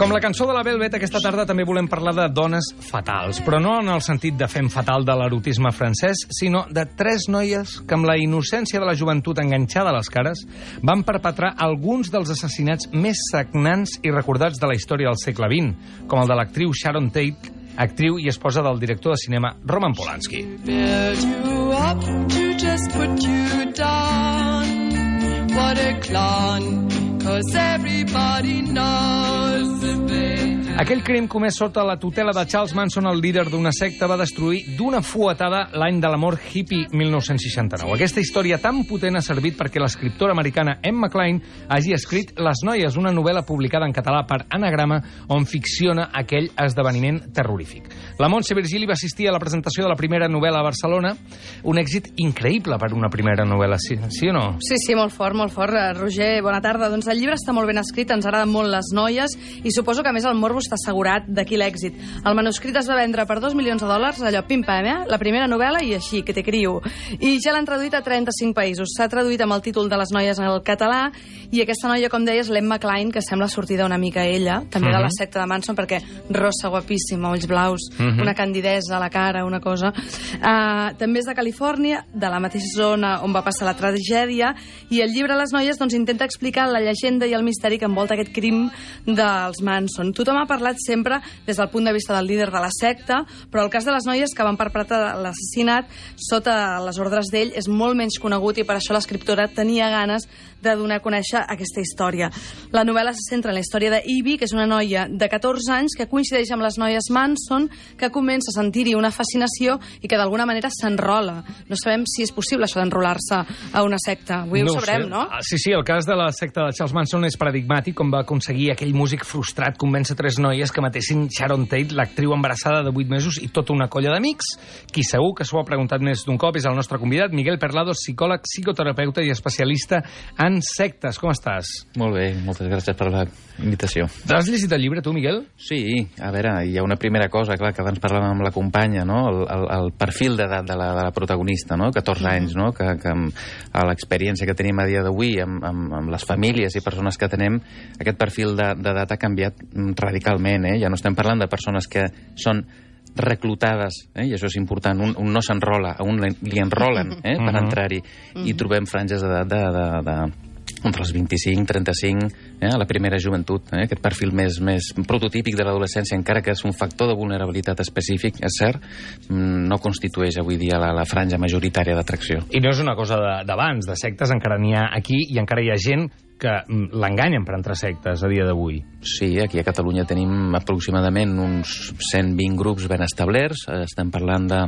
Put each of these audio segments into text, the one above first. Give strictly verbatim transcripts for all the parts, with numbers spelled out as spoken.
Com la cançó de la Velvet, aquesta tarda també volem parlar de dones fatals, però no en el sentit de fem fatal de l'erotisme francès, sinó de tres noies que amb la innocència de la joventut enganxada a les cares van perpetrar alguns dels assassinats més sagnants i recordats de la història del segle vint, com el de l'actriu Sharon Tate, actriu i esposa del director de cinema Roman Polanski. What a clown, 'cause everybody knows Aquell crim comès sota la tutela de Charles Manson, el líder d'una secta, va destruir d'una fuetada l'any de l'amor hippie mil nou-cents seixanta-nou. Aquesta història tan potent ha servit perquè l'escriptora americana Emma Cline hagi escrit Les noies, una novel·la publicada en català per Anagrama, on ficciona aquell esdeveniment terrorífic. La Montse Virgili va assistir a la presentació de la primera novel·la a Barcelona, un èxit increïble per una primera novel·la, sí, sí o no? Sí, sí, molt fort, molt fort. Roger, bona tarda. Doncs el llibre està molt ben escrit, ens agraden molt les noies i suposo que a més el morbo està assegurat d'aquí l'èxit. El manuscrit es va vendre per dos milions de dòlars, allò pim-pam, eh? La primera novel·la i així, que te criu. I ja l'han traduït a trenta-cinc països. S'ha traduït amb el títol de Les noies en el català i aquesta noia, com deies, l'Emma Cline, que sembla sortida una mica ella, també uh-huh. de la secta de Manson, perquè rossa, guapíssima, ulls blaus, uh-huh. una candidesa a la cara, una cosa. Uh, també és de Califòrnia, de la mateixa zona on va passar la tragèdia, i el llibre Les noies doncs, intenta explicar la llegenda i el misteri que envolta aquest crim dels Manson. Tothom ha parlat sempre des del punt de vista del líder de la secta, però el cas de les noies que van perpetrar l'assassinat sota les ordres d'ell és molt menys conegut i per això l'escriptora tenia ganes de donar a conèixer aquesta història. La novel·la se centra en la història d'Ivy, que és una noia de catorze anys que coincideix amb les noies Manson, que comença a sentir-hi una fascinació i que d'alguna manera s'enrola. No sabem si és possible això d'enrolar-se a una secta. Avui no ho sabrem, sé. no? Sí, sí, el cas de la secta de Charles Manson és paradigmàtic, com va aconseguir aquell músic frustrat convèncer tres noies que matessin Sharon Tate, l'actriu embarassada de vuit mesos, i tota una colla d'amics. Qui segur que s'ho ha preguntat més d'un cop és el nostre convidat, Miguel Perlado, psicòleg, psicoterapeuta i especialista en sectes. Com estàs? Molt bé, moltes gràcies per la invitació. Has llegit el llibre, tu, Miguel? Sí, a veure, hi ha una primera cosa, clar, que abans parlàvem amb la companya, no? El, el, el perfil d'edat de, la, de la protagonista, no? catorze anys, no? Que, que amb, a l'experiència que tenim a dia d'avui, amb, amb, amb les famílies i persones que tenem, aquest perfil d'edat ha canviat radicalment, eh? Ja no estem parlant de persones que són reclutades, eh? I això és important, un, un no s'enrola, a un li enrolen eh? per entrar-hi, i trobem franges d'edat de, de, de, entre els vint-i-cinc, trenta-cinc, eh? a la primera joventut, eh? aquest perfil més, més prototípic de l'adolescència, encara que és un factor de vulnerabilitat específic, és cert, no constitueix avui dia la, la franja majoritària d'atracció. I no és una cosa d'abans, de, de sectes, encara n'hi ha aquí i encara hi ha gent que l'enganyen per entrar sectes a dia d'avui. Sí, aquí a Catalunya tenim aproximadament uns cent vint grups ben establerts, estem parlant de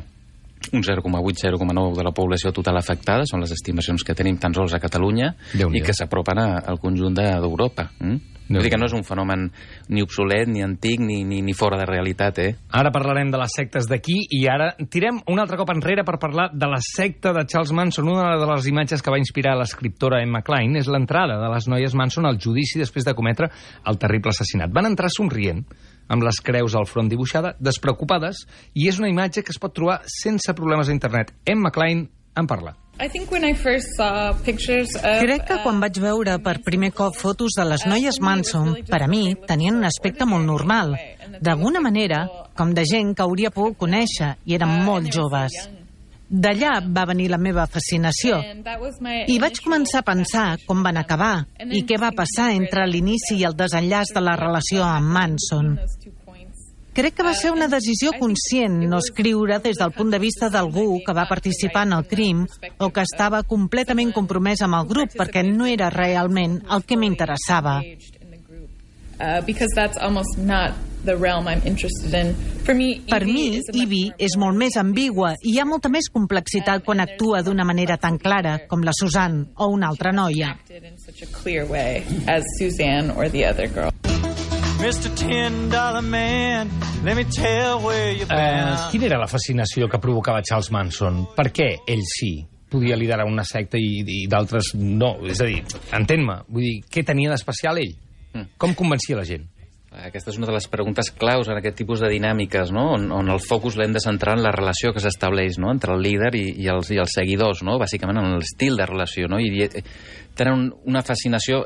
un zero coma vuit a zero coma nou de la població total afectada, són les estimacions que tenim tan sols a Catalunya i que s'apropen al conjunt d'Europa. Mm? Vull dir que no és un fenomen ni obsolet, ni antic, ni, ni, ni fora de realitat, eh? Ara parlarem de les sectes d'aquí i ara tirem un altre cop enrere per parlar de la secta de Charles Manson. Una de les imatges que va inspirar l'escriptora Emma Cline és l'entrada de les noies Manson al judici després de cometre el terrible assassinat. Van entrar somrient, amb les creus al front dibuixada, despreocupades, i és una imatge que es pot trobar sense problemes a internet. Emma Cline en parla. Crec que quan vaig veure per primer cop fotos de les noies Manson, per a mi tenien un aspecte molt normal, d'alguna manera com de gent que hauria pogut conèixer i eren molt joves. D'allà va venir la meva fascinació i vaig començar a pensar com van acabar i què va passar entre l'inici i el desenllaç de la relació amb Manson. Crec que va ser una decisió conscient no escriure des del punt de vista d'algú que va participar en el crim o que estava completament compromès amb el grup, perquè no era realment el que m'interessava. Per mi, Ivy és molt més ambigua i hi ha molta més complexitat quan actua d'una manera tan clara com la Suzanne o una altra noia. mister ten dollar man, let me tell where you've been. Eh, quina era la fascinació que provocava Charles Manson? Per què ell sí? podia liderar una secta i, i d'altres no? És a dir, entén-me, vull dir, què tenia d'especial ell? Mm. Com convencia la gent? Aquesta és una de les preguntes claus en aquest tipus de dinàmiques, no? on, on el focus l'hem de centrar en la relació que s'estableix, no? entre el líder i, i, els, i els seguidors, no? bàsicament en l'estil de relació. No? I tenen una fascinació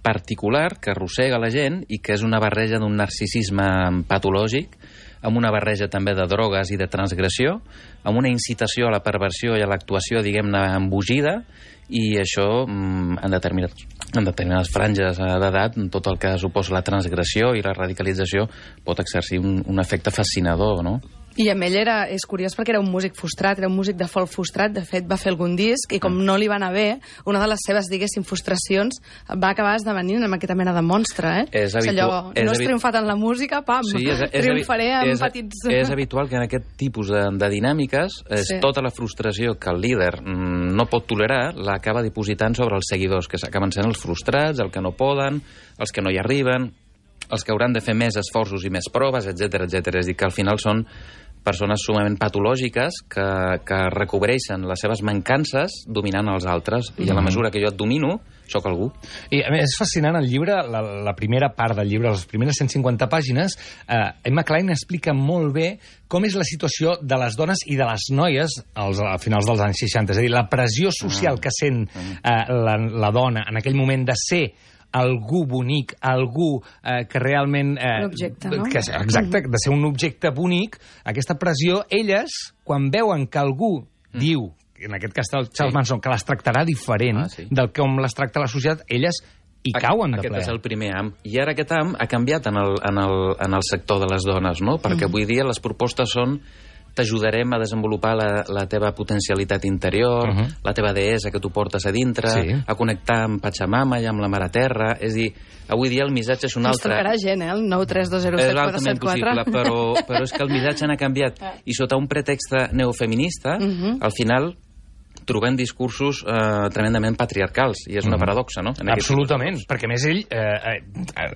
particular que arrossega la gent i que és una barreja d'un narcisisme patològic, amb una barreja també de drogues i de transgressió, amb una incitació a la perversió i a l'actuació, diguem-ne, embogida, i això, en, determinat, en determinades franges d'edat, tot el que suposa la transgressió i la radicalització pot exercir un, un efecte fascinador, no? I amb ell era, és curiós perquè era un músic frustrat, era un músic de folk frustrat, de fet va fer algun disc i com no li va anar bé, una de les seves, diguéssim, frustracions va acabar esdevenint amb aquesta mena de monstre, eh? És habitual. Allò, no has triomfat en la música, pam, sí, és, és, triomfaré amb és, petits... És habitual que en aquest tipus de, de dinàmiques és sí. tota la frustració que el líder mm, no pot tolerar l'acaba dipositant sobre els seguidors, que acaben sent els frustrats, els que no poden, els que no hi arriben, els que hauran de fer més esforços i més proves, etcètera, etcètera. És a dir, que al final són persones sumament patològiques que, que recobreixen les seves mancances dominant els altres. I a la mesura que jo et domino, sóc algú. I a més, és fascinant el llibre, la, la primera part del llibre, les primeres cent cinquanta pàgines, eh, Emma Cline explica molt bé com és la situació de les dones i de les noies als, a finals dels anys seixanta. És a dir, la pressió social que sent eh, la, la dona en aquell moment de ser algú bonic, algú eh, que realment... Eh, un objecte, no? Que, exacte, de ser un objecte bonic, aquesta pressió, elles, quan veuen que algú mm. diu, en aquest cas el Charles sí. Manson, que les tractarà diferent ah, sí. del com les tracta la societat, elles hi cauen de ple. Aquest és el primer am. I ara aquest am ha canviat en el, en el, en el sector de les dones, no? Perquè mm. avui dia les propostes són t'ajudarem a desenvolupar la, la teva potencialitat interior, uh -huh. la teva deessa que tu portes a dintre, sí. a connectar amb Pachamama i amb la Mare Terra. És dir, avui dia el missatge és un altre. Ens trucarà gent, eh? El nou tres dos zero set quatre set quatre. És altament possible, però, però és que el missatge n'ha canviat. I sota un pretext neofeminista, uh -huh. al final trobem discursos eh, tremendament patriarcals, i és una paradoxa, no? En absolutament, perquè a més ell... Eh, eh,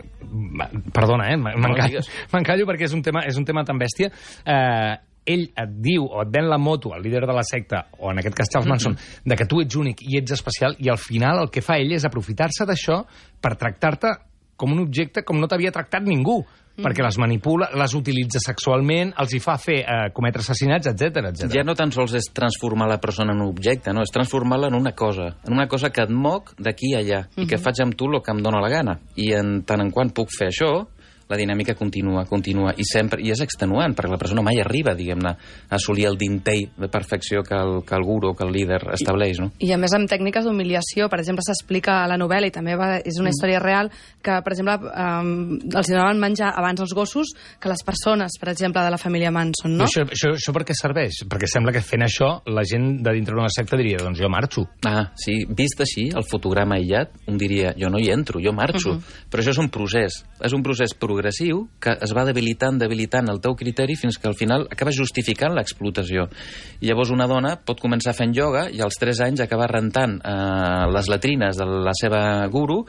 perdona, eh? M'encallo no, perquè és un tema, és un tema tan bèstia. Eh, ell et diu o et ven la moto al líder de la secta, o en aquest cas Charles Manson, mm-hmm. de que tu ets únic i ets especial, i al final el que fa ell és aprofitar-se d'això per tractar-te com un objecte com no t'havia tractat ningú, mm-hmm. perquè les manipula, les utilitza sexualment, els hi fa fer eh, cometre assassinats, etcètera, etcètera. Ja no tan sols és transformar la persona en un objecte, no, és transformar-la en una cosa, en una cosa que et moc d'aquí a allà, mm-hmm. i que faig amb tu el que em dóna la gana. I en tant en quant puc fer això, la dinàmica continua, continua, i sempre, i és extenuant, perquè la persona mai arriba, diguem-ne, a assolir el dintell de perfecció que el, que el guru, que el líder estableix, no? I, i a més amb tècniques d'humiliació, per exemple, s'explica a la novel·la, i també va, és una història real, que, per exemple, um, els donaven menjar abans els gossos que les persones, per exemple, de la família Manson, no? Això, això, això per què serveix? Perquè sembla que fent això la gent de dintre d'una secta diria, doncs jo marxo. Ah, sí, vist així, el fotograma aïllat, un diria, jo no hi entro, jo marxo. Uh -huh. Però això és un procés, és un procés progressiu que es va debilitant, debilitant el teu criteri fins que al final acabes justificant l'explotació. I llavors una dona pot començar fent ioga i als tres anys acabar rentant eh, les latrines de la seva guru,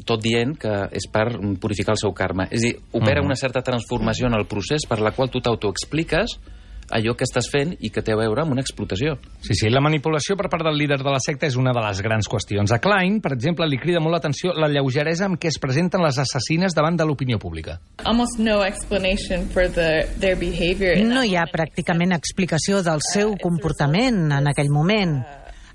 tot dient que és per purificar el seu karma. És a dir, opera uh-huh. una certa transformació en el procés per la qual tu t'autoexpliques allò que estàs fent i que té a veure amb una explotació. Sí, sí, la manipulació per part del líder de la secta és una de les grans qüestions. A Klein, per exemple, li crida molt l'atenció la lleugeresa amb què es presenten les assassines davant de l'opinió pública. Almost no explanation for the, their behavior. No hi ha pràcticament explicació del seu comportament en aquell moment,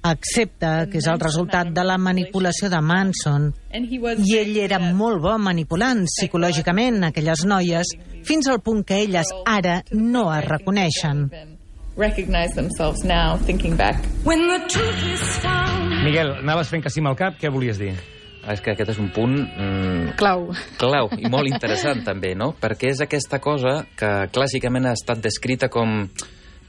excepte que és el resultat de la manipulació de Manson. I ell era molt bo manipulant psicològicament aquelles noies, fins al punt que elles ara no es reconeixen. Miguel, anaves fent que sí amb el cap, què volies dir? És que aquest és un punt... Mm, clau. Clau, i molt interessant també, no? Perquè és aquesta cosa que clàssicament ha estat descrita com...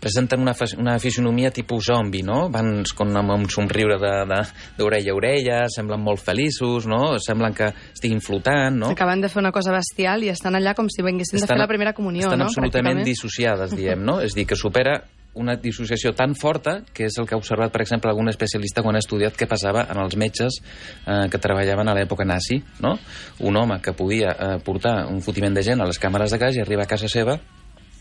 presenten una, una fisionomia tipus zombi, no? Van con, amb un somriure d'orella a orella, semblen molt feliços, no? Semblen que estiguin flotant, no? Acaben de fer una cosa bestial i estan allà com si vinguessin estan, de fer la primera comunió, estan no? Estan absolutament dissociades, diem, no? És dir, que supera una dissociació tan forta que és el que ha observat, per exemple, algun especialista quan ha estudiat què passava en els metges eh, que treballaven a l'època nazi, no? Un home que podia eh, portar un fotiment de gent a les càmeres de gas i arribar a casa seva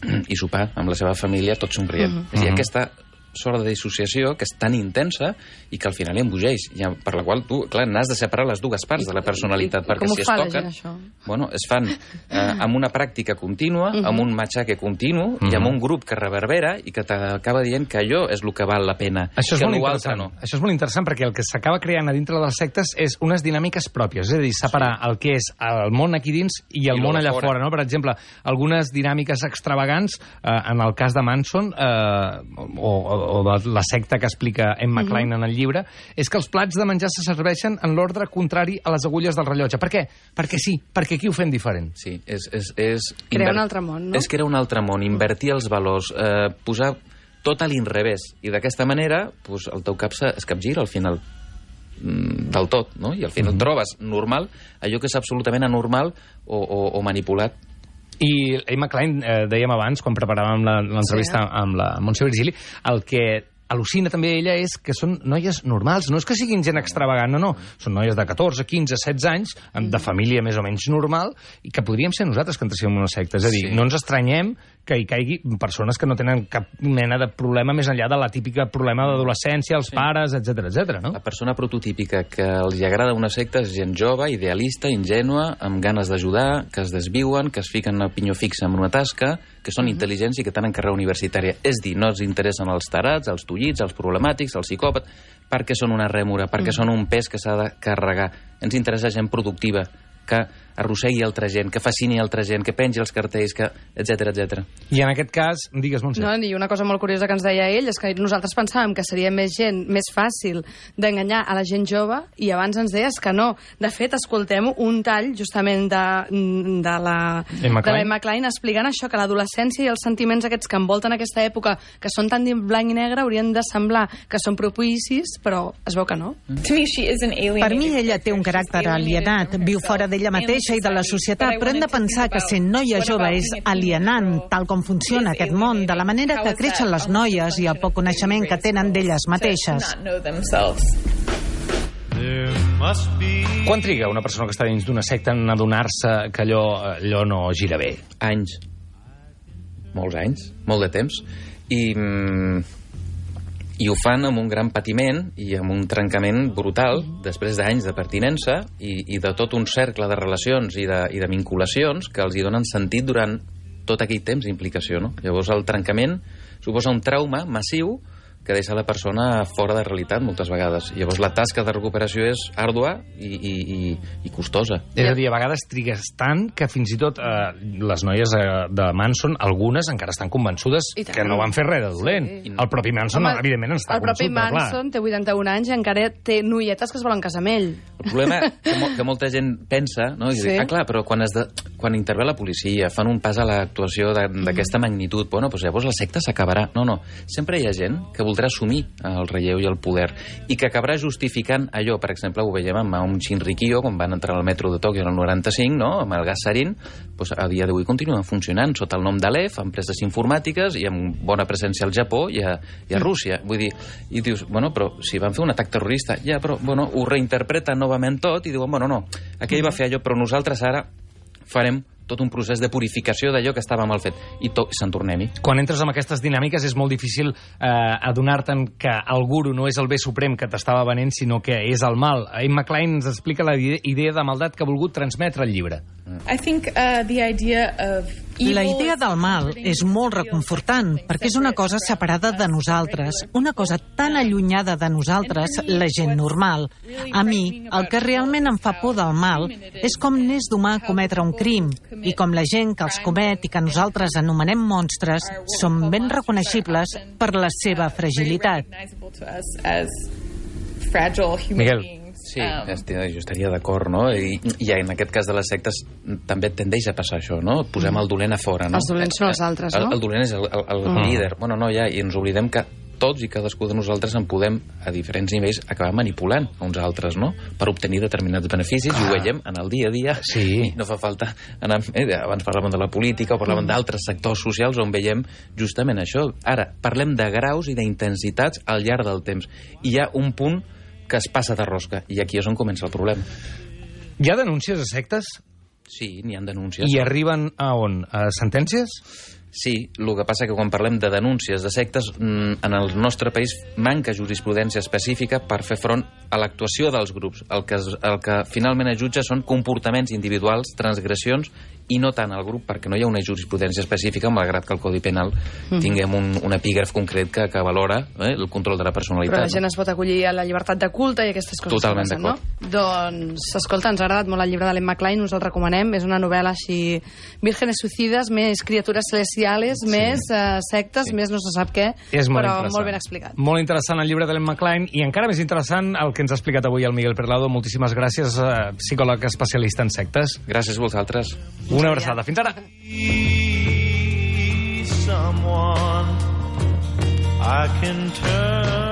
i sopar amb la seva família tot somrient. Uh -huh. És a dir, aquesta sort de dissociació que és tan intensa i que al final hi embogeix, per la qual tu, clar, n'has de separar les dues parts de la personalitat, I, i, perquè com si ho es fa la toquen, gent, això? bueno, es fan eh, amb una pràctica contínua, Uh-huh. amb un matxaque continu Uh-huh. i amb un grup que reverbera i que t'acaba dient que allò és el que val la pena, Això és, que molt l'altre interessant. no. Això és molt interessant perquè el que s'acaba creant a dintre de les sectes és unes dinàmiques pròpies, és a dir, separar sí. el que és el món aquí dins i el I món lo de allà fora. fora. No? Per exemple, algunes dinàmiques extravagants, eh, en el cas de Manson, eh, o, o, o de la secta que explica Emma Klein uh -huh. en el llibre, és que els plats de menjar se serveixen en l'ordre contrari a les agulles del rellotge. Per què? Perquè sí, perquè aquí ho fem diferent. Sí, és... és, és Crear un altre món, no? És crear un altre món, invertir els valors, eh, posar tot a l'inrevés. I d'aquesta manera, pues, el teu cap es capgira al final mm, del tot, no? I al final mm-hmm. trobes normal allò que és absolutament anormal o, o, o manipulat. I Emma Klein, eh, dèiem abans, quan preparàvem la- l'entrevista Sí. amb la Montse Virgili, el que al·lucina també ella és que són noies normals, no és que siguin gent extravagant, no, no. Són noies de catorze, quinze, setze anys, de família més o menys normal, i que podríem ser nosaltres que entréssim en una secta. És a dir, Sí. no ens estranyem que hi caigui persones que no tenen cap mena de problema més enllà de la típica problema d'adolescència, els sí. pares, etcètera, etcètera, no? La persona prototípica que els agrada una secta és gent jove, idealista, ingènua, amb ganes d'ajudar, que es desviuen, que es fiquen a pinyó fixa en una tasca, que són mm-hmm. intel·ligents i que tenen carrera universitària. És dir, no els interessen els tarats, els tullits, els problemàtics, els psicòpats, perquè són una rèmora, perquè mm. són un pes que s'ha de carregar. Ens interessa gent productiva, que arrossegui altra gent, que fascini altra gent, que pengi els cartells, que etcètera, etcètera. I en aquest cas, digues, Montse. No, i una cosa molt curiosa que ens deia ell és que nosaltres pensàvem que seria més gent, més fàcil d'enganyar a la gent jove, i abans ens deies que no. De fet, escoltem un tall justament de, de la Emma de Klein. l'Emma Klein explicant això, que l'adolescència i els sentiments aquests que envolten aquesta època, que són tan blanc i negre, haurien de semblar que són propicis, però es veu que no. To me, she is an alienated Per mi ella té un character. caràcter She's alienated alienat, from viu herself fora d'ella and mateixa i de la societat, però hem de pensar que sent noia jove és alienant, tal com funciona aquest món, de la manera que creixen les noies i el poc coneixement que tenen d'elles mateixes. Quan triga una persona que està dins d'una secta en adonar-se que allò, allò no gira bé? Anys. Molts anys, molt de temps. I, mm, i ho fan amb un gran patiment i amb un trencament brutal després d'anys de pertinença i, i de tot un cercle de relacions i de, i de vinculacions que els hi donen sentit durant tot aquell temps d'implicació, no? Llavors el trencament suposa un trauma massiu que deixa la persona fora de realitat moltes vegades. Llavors la tasca de recuperació és àrdua i, i, i, i costosa. És a dir, a vegades trigues tant que fins i tot eh, les noies eh, de Manson, algunes encara estan convençudes que no van fer res de dolent. Sí. El propi Manson, Home, evidentment, està el propi convençut, però clar. Manson té vuitanta-un anys i encara té noietes que es volen casar amb ell. El problema que, mo que molta gent pensa, no? I Sí. diu, ah, clar, però quan, es de, quan intervé la policia, fan un pas a l'actuació d'aquesta mm. magnitud, bueno, doncs llavors la secta s'acabarà. No, no. Sempre hi ha gent que voldrà assumir el relleu i el poder i que acabarà justificant allò. Per exemple, ho veiem amb un Shinrikyo, quan van entrar al metro de Tòquio en el noranta-cinc, no? Amb el gas sarin, doncs a dia d'avui continuen funcionant sota el nom d'Aleph, empreses informàtiques i amb bona presència al Japó i a, i a Rússia. Vull dir, i dius, bueno, però si van fer un atac terrorista, ja, però, bueno, ho reinterpreten novament tot i diuen, bueno, no, aquell va fer allò, però nosaltres ara farem tot un procés de purificació d'allò que estava mal fet i se'n tornem-hi. Quan entres en aquestes dinàmiques és molt difícil eh, adonar-te'n que el guru no és el bé suprem que t'estava venent, sinó que és el mal. Emma Klein ens explica la idea de maldat que ha volgut transmetre el llibre. I think uh, the idea of La idea del mal és molt reconfortant, perquè és una cosa separada de nosaltres, una cosa tan allunyada de nosaltres, la gent normal. A mi, el que realment em fa por del mal és com n'és d'humà cometre un crim, i com la gent que els comet i que nosaltres anomenem monstres són ben reconeixibles per la seva fragilitat. Miguel. Sí, jo estaria d'acord, no? I, I en aquest cas de les sectes també tendeix a passar això, no? Posem el dolent a fora, no? Els dolents són els altres, no? El, el dolent és el, el, el mm. líder. Bueno, no, ja, i ens oblidem que tots i cadascú de nosaltres en podem, a diferents nivells, acabar manipulant a uns altres, no? Per obtenir determinats beneficis, ah. i ho veiem en el dia a dia. Sí. I no fa falta anar... Eh, abans parlàvem de la política o parlàvem mm. d'altres sectors socials on veiem justament això. Ara, parlem de graus i d'intensitats al llarg del temps. I hi ha un punt que es passa de rosca, i aquí és on comença el problema. Hi ha denúncies a sectes? Sí, n'hi ha denúncies. I arriben a on? A sentències? Sí, el que passa que quan parlem de denúncies de sectes, en el nostre país manca jurisprudència específica per fer front a l'actuació dels grups. El que, el que finalment es jutja són comportaments individuals, transgressions, i no tant el grup, perquè no hi ha una jurisprudència específica, malgrat que el Codi Penal mm. tinguem un, un epígraf concret que, que valora eh, el control de la personalitat. Però la gent no? es pot acollir a la llibertat de culte i aquestes coses. Totalment passen, no? Doncs, escolta, ens ha agradat molt el llibre de l'Emma Klein, us el recomanem, és una novel·la així, vírgenes suicides, més criatures celestiales, sí. més uh, sectes, sí. més no se sap què, és molt però molt ben explicat. Molt interessant el llibre de l'Emma Klein, i encara més interessant el que ens ha explicat avui el Miguel Perlado. Moltíssimes gràcies, uh, psicòleg especialista en sectes. Gràcies a vosaltres. Una abraçada. Fins ara. Someone I can turn